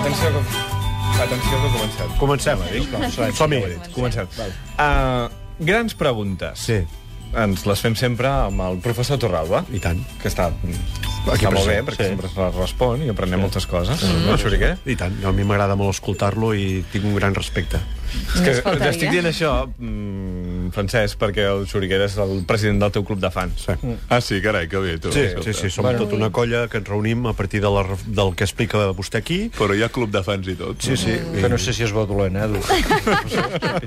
Atenció que comencem. Comencem, som-hi. Comencem. Grans preguntes. Sí. Ens les fem sempre amb el professor Torralba. I tant. Que està molt bé, perquè sempre es respon i aprenem moltes coses. No, Xuriquer? I tant. A mi m'agrada molt escoltar-lo i tinc un gran respecte. És que estic dient això, Francesc, perquè el Xuriquer és el president del teu club de fans. Sí, carai, que bé, tu. Sí, som tota una colla que ens reunim a partir del que explica vostè aquí. Però hi ha club de fans i tot. Sí. Que no sé si es veu dolent, Edu.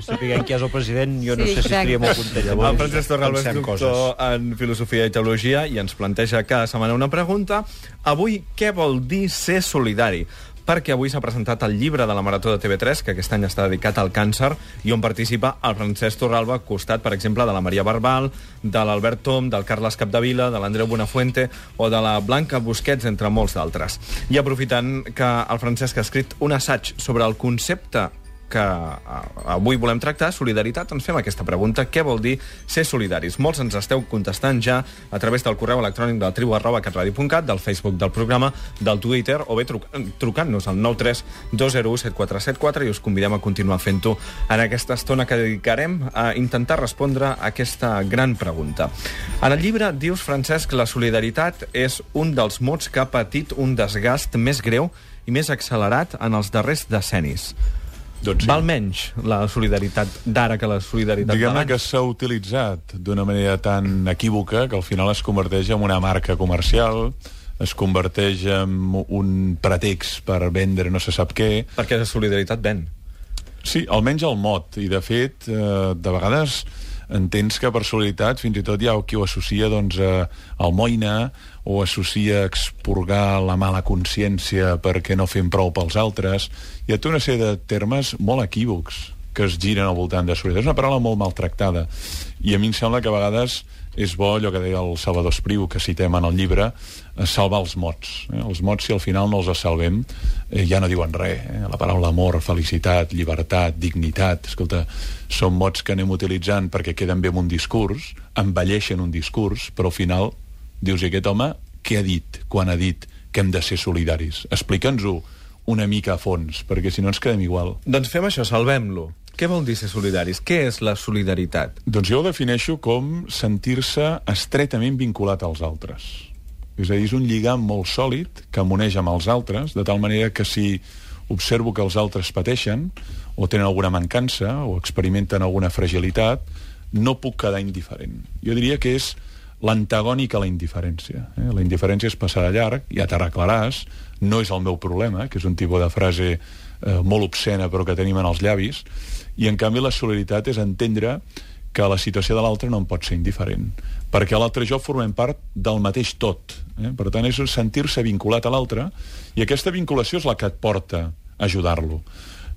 Sapiguem qui és el president, jo no sé si estaria molt content. El Francesc Torralba és doctor en filosofia i teologia i ens planteja cada setmana una pregunta. Avui, què vol dir ser solidari? Perquè avui s'ha presentat el llibre de la Marató de TV3, que aquest any està dedicat al càncer, i on participa el Francesc Torralba, costat, per exemple, de la Maria Barbal, de l'Albert Tom, del Carles Capdevila, de l'Andreu Buenafuente o de la Blanca Busquets, entre molts d'altres. I aprofitant que el Francesc ha escrit un assaig sobre el concepte que avui volem tractar, solidaritat, ens fem aquesta pregunta. Què vol dir ser solidaris? Molts ens esteu contestant ja a través del correu electrònic del tribu@catradio.cat, del Facebook del programa, del Twitter, o bé trucant-nos al 932017474 i us convidem a continuar fent-ho en aquesta estona que dedicarem a intentar respondre a aquesta gran pregunta. En el llibre dius, Francesc, la solidaritat és un dels mots que ha patit un desgast més greu i més accelerat en els darrers decennis. Doncs sí. Val menys la solidaritat d'ara que la solidaritat Diguem-ne d'abans? que s'ha utilitzat d'una manera tan equívoca que al final es converteix en una marca comercial, es converteix en un pretext per vendre no se sap què. Perquè la solidaritat ven. Sí, almenys el mot. I, de fet, de vegades entens que per solidaritat fins i tot hi ha qui ho associa doncs, al moïna o associa expurgar la mala consciència perquè no fem prou pels altres. Hi ha tota una sèrie de termes molt equívocs que es giren al voltant de solidaritat. És una paraula molt maltractada i a mi em sembla que a vegades és bo allò que deia el Salvador Espriu, que citem en el llibre, salvar els mots. Els mots, si al final no els salvem, ja no diuen res. La paraula amor, felicitat, llibertat, dignitat, escolta, són mots que anem utilitzant perquè queden bé en un discurs, embelleixen un discurs, però al final dius, i aquest home què ha dit quan ha dit que hem de ser solidaris? Explica'ns-ho una mica a fons, perquè si no ens quedem igual. Doncs fem això, salvem-lo. Què vol dir ser solidaris? Què és la solidaritat? Doncs jo ho defineixo com sentir-se estretament vinculat als altres. És a dir, és un lligam molt sòlid que m'uneix amb els altres, de tal manera que si observo que els altres pateixen o tenen alguna mancança o experimenten alguna fragilitat, no puc quedar indiferent. Jo diria que és l'antagònic a la indiferència. La indiferència és passar de llarg, ja t'arreglaràs, no és el meu problema, que és un tipus de frase molt obscena però que tenim en els llavis, i en canvi la solidaritat és entendre que la situació de l'altre no en pot ser indiferent, perquè l'altre i jo formem part del mateix tot. Per tant, és sentir-se vinculat a l'altre, i aquesta vinculació és la que et porta a ajudar-lo.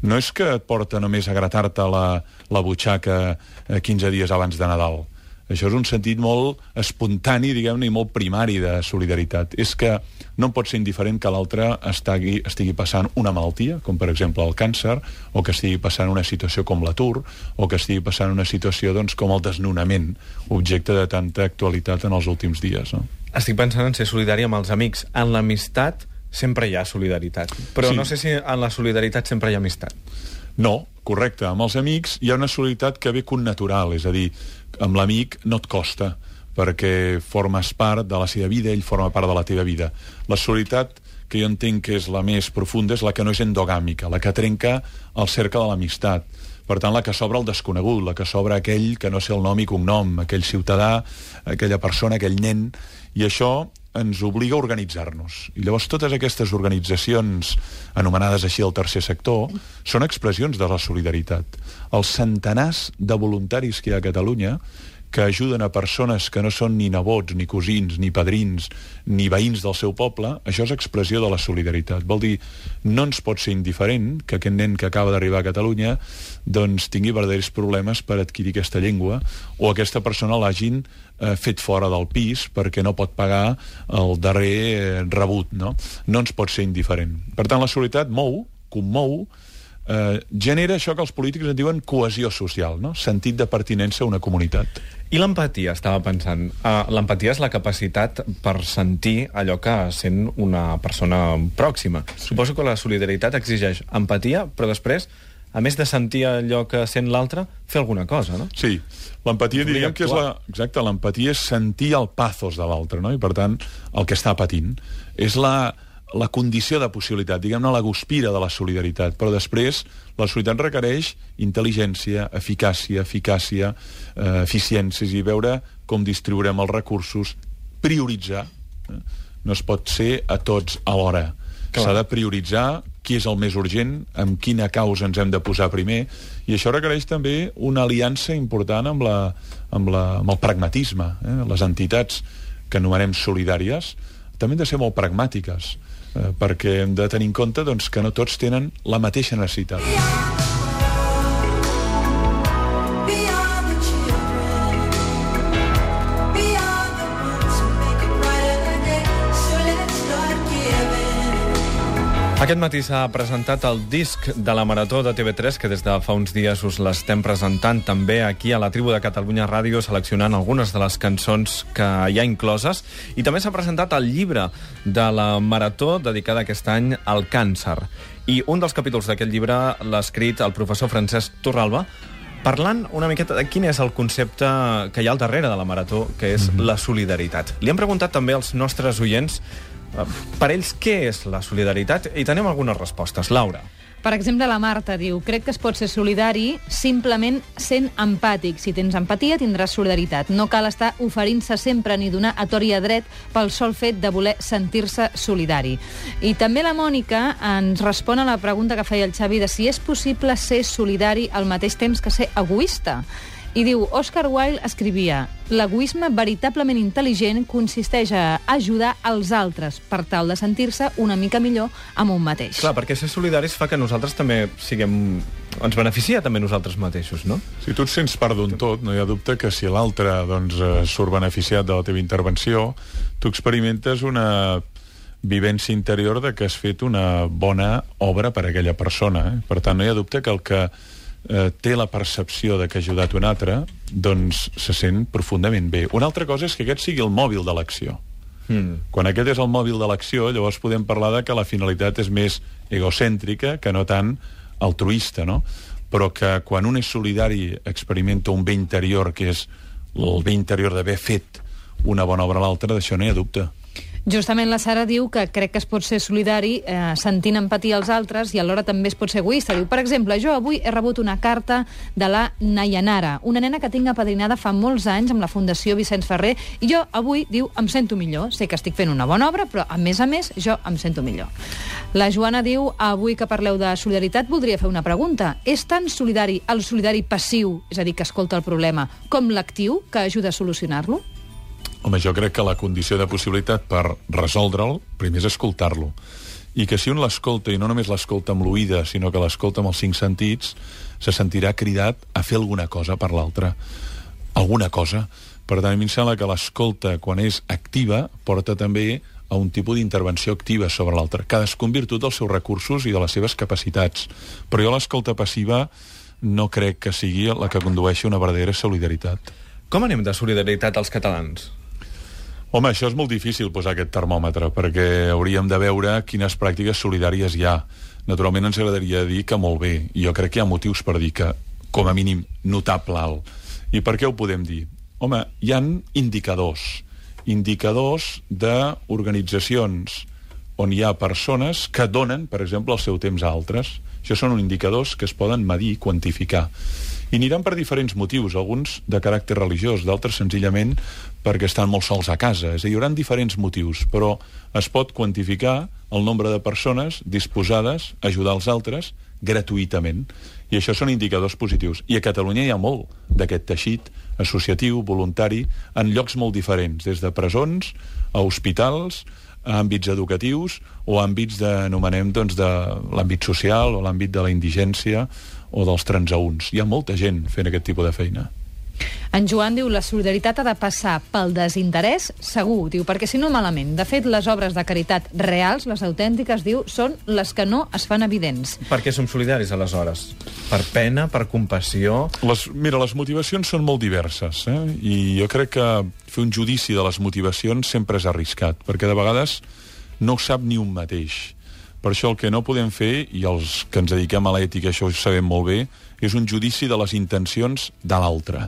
No és que et porta només a gratar-te la butxaca 15 dies abans de Nadal. Això és un sentit molt espontani, diguem-ne, i molt primari de solidaritat. És que no pot ser indiferent que l'altre estigui passant una malaltia, com per exemple el càncer, o que estigui passant una situació com l'atur, o que estigui passant una situació doncs, com el desnonament, objecte de tanta actualitat en els últims dies. No? Estic pensant en ser solidari amb els amics. En l'amistat sempre hi ha solidaritat. Però no sé si en la solidaritat sempre hi ha amistat. No, correcte. Amb els amics hi ha una solidaritat que ve connatural, és a dir, amb l'amic no et costa, perquè formes part de la seva vida, ell forma part de la teva vida. La solidaritat que jo entenc que és la més profunda és la que no és endogàmica, la que trenca el cercle de l'amistat. Per tant, la que s'obre al desconegut, la que s'obre aquell que no sé el nom i cognom, aquell ciutadà, aquella persona, aquell nen, i això ens obliga a organitzar-nos. I llavors totes aquestes organitzacions anomenades així del tercer sector són expressions de la solidaritat. Els centenars de voluntaris que hi ha a Catalunya que ajuden a persones que no són ni nebots, ni cosins, ni padrins, ni veïns del seu poble, això és expressió de la solidaritat. Vol dir, no ens pot ser indiferent que aquest nen que acaba d'arribar a Catalunya doncs tingui verdaders problemes per adquirir aquesta llengua, o aquesta persona l'hagin fet fora del pis perquè no pot pagar el darrer rebut, no? No ens pot ser indiferent. Per tant, la solidaritat mou, commou, genera això que els polítics en diuen cohesió social, no? Sentit de pertinença a una comunitat. I l'empatia, estava pensant. L'empatia és la capacitat per sentir allò que sent una persona pròxima. Suposo que la solidaritat exigeix empatia, però després, a més de sentir allò que sent l'altre, fer alguna cosa, no? Sí, l'empatia diríem que és exacte, l'empatia és sentir el pathos de l'altre, no? I per tant, el que està patint. És la condició de possibilitat, diguem-ne la guspira de la solidaritat, però després la solidaritat requereix intel·ligència, eficàcia, eficiències i veure com distribuirem els recursos, prioritzar. No es pot ser a tots alhora. S'ha de prioritzar qui és el més urgent, amb quina causa ens hem de posar primer, i això requereix també una aliança important amb el pragmatisme. Les entitats que anomenem solidàries també han de ser molt pragmàtiques, perquè hem de tenir en compte doncs, que no tots tenen la mateixa necessitat. Aquest matí s'ha presentat el disc de la Marató de TV3, que des de fa uns dies us l'estem presentant també aquí a la Tribu de Catalunya Ràdio, seleccionant algunes de les cançons que hi ha incloses. I també s'ha presentat el llibre de la Marató, dedicada aquest any al càncer. I un dels capítols d'aquest llibre l'ha escrit el professor Francesc Torralba, parlant una miqueta de quin és el concepte que hi ha al darrere de la Marató, que és la solidaritat. Li hem preguntat també als nostres oients per ells, què és la solidaritat? I tenim algunes respostes. Laura. Per exemple, la Marta diu: crec que es pot ser solidari simplement sent empàtic. Si tens empatia, tindràs solidaritat. No cal estar oferint-se sempre ni donar a tort i a dret pel sol fet de voler sentir-se solidari. I també la Mònica ens respon a la pregunta que feia el Xavi de si és possible ser solidari al mateix temps que ser egoista. I diu, Oscar Wilde escrivia: l'egoisme veritablement intel·ligent consisteix a ajudar els altres per tal de sentir-se una mica millor amb un mateix. Clar, perquè ser solidaris fa que nosaltres també ens beneficia també nosaltres mateixos, no? Si tu et sents part d'un tot, no hi ha dubte que si l'altre surt beneficiat de la teva intervenció, tu experimentes una vivència interior de que has fet una bona obra per a aquella persona. Per tant, no hi ha dubte que el que té la percepció de que ha ajudat un altre, doncs se sent profundament bé. Una altra cosa és que aquest sigui el mòbil de l'acció. Quan aquest és el mòbil de l'acció, llavors podem parlar de que la finalitat és més egocèntrica que no tant altruista, no? Però que quan un és solidari experimenta un bé interior, que és el bé interior d'haver fet una bona obra a l'altre, d'això no hi ha dubte. Justament la Sara diu que crec que es pot ser solidari sentint empatia als altres i alhora també es pot ser egoista. Diu, per exemple, jo avui he rebut una carta de la Nayanara, una nena que tinc apadrinada fa molts anys amb la Fundació Vicenç Ferrer, i jo avui, diu, em sento millor. Sé que estic fent una bona obra, però a més, jo em sento millor. La Joana diu, avui que parleu de solidaritat, voldria fer una pregunta. És tan solidari el solidari passiu, és a dir, que escolta el problema, com l'actiu, que ajuda a solucionar-lo? Home, jo crec que la condició de possibilitat per resoldre'l, primer és escoltar-lo. I que si un l'escolta, i no només l'escolta amb l'oïda, sinó que l'escolta amb els 5 sentits, se sentirà cridat a fer alguna cosa per l'altre. Alguna cosa. Per tant, a mi em sembla que l'escolta, quan és activa, porta també a un tipus d'intervenció activa sobre l'altre. Cadascú en virtut dels seus recursos i de les seves capacitats. Però jo l'escolta passiva no crec que sigui la que condueixi a una verdadera solidaritat. Com anem de solidaritat als catalans? Home, això és molt difícil posar aquest termòmetre, perquè hauríem de veure quines pràctiques solidàries hi ha. Naturalment ens agradaria dir que molt bé, i jo crec que hi ha motius per dir que, com a mínim, notable alt. I per què ho podem dir? Home, hi ha indicadors d'organitzacions on hi ha persones que donen, per exemple, el seu temps a altres. Això són indicadors que es poden medir i quantificar. I aniran per diferents motius, alguns de caràcter religiós, d'altres senzillament perquè estan molt sols a casa. És a dir, hi haurà diferents motius, però es pot quantificar el nombre de persones disposades a ajudar els altres gratuïtament. I això són indicadors positius. I a Catalunya hi ha molt d'aquest teixit associatiu, voluntari, en llocs molt diferents, des de presons a hospitals, a àmbits educatius o a àmbits anomenem de l'àmbit social o l'àmbit de la indigència o dels transeünts. Hi ha molta gent fent aquest tipus de feina. En Joan diu, la solidaritat ha de passar pel desinterès segur, diu, perquè si no malament. De fet, les obres de caritat reals, les autèntiques, diu, són les que no es fan evidents. Per què som solidaris, aleshores? Per pena, per compassió? Mira, les motivacions són molt diverses, i jo crec que fer un judici de les motivacions sempre és arriscat, perquè de vegades no ho sap ni un mateix. Per això el que no podem fer, i els que ens dediquem a l'ètica això ho sabem molt bé, és un judici de les intencions de l'altre.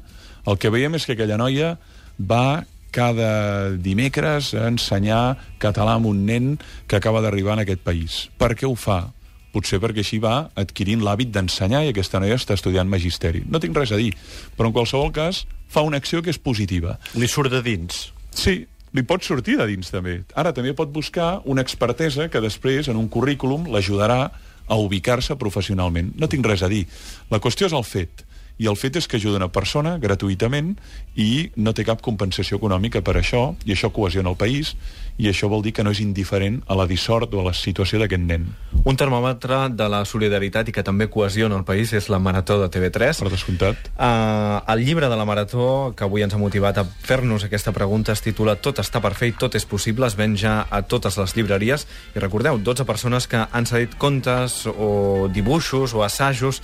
El que veiem és que aquella noia va cada dimecres a ensenyar català a un nen que acaba d'arribar en aquest país. Per què ho fa? Potser perquè així va adquirint l'hàbit d'ensenyar i aquesta noia està estudiant magisteri. No tinc res a dir, però en qualsevol cas fa una acció que és positiva. Li surt de dins. Sí, li pot sortir de dins també. Ara també pot buscar una expertesa que després en un currículum l'ajudarà a ubicar-se professionalment. No tinc res a dir. La qüestió és el fet. I el fet és que ajuda una persona gratuïtament i no té cap compensació econòmica per això, i això cohesiona el país, i això vol dir que no és indiferent a la dissort o a la situació d'aquest nen. Un termòmetre de la solidaritat i que també cohesiona el país és la Marató de TV3. Per descomptat. El llibre de la Marató, que avui ens ha motivat a fer-nos aquesta pregunta, es titula Tot està per fer i tot és possible, es ven ja a totes les llibreries. I recordeu, 12 persones que han cedit contes o dibuixos o assajos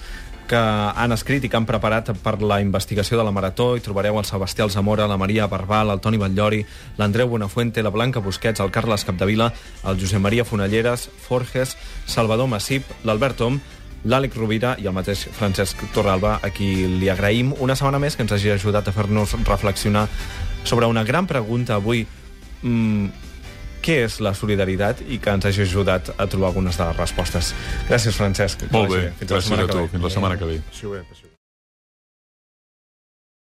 que han escrit i que han preparat per la investigació de la Marató. Hi trobareu el Sebastià Alzamora, la Maria Barbal, el Toni Batllori, l'Andreu Buenafuente, la Blanca Busquets, el Carles Capdevila, el Josep Maria Fonalleres, Forges, Salvador Massip, l'Albert Tom, l'Àlex Rovira i el mateix Francesc Torralba, a qui li agraïm una setmana més que ens hagi ajudat a fer-nos reflexionar sobre una gran pregunta avui. Què és la solidaritat i que ens hagi ajudat a trobar algunes de les respostes. Gràcies, Francesc. Molt bé, gràcies a tu. Fins la setmana que ve. Passi bé.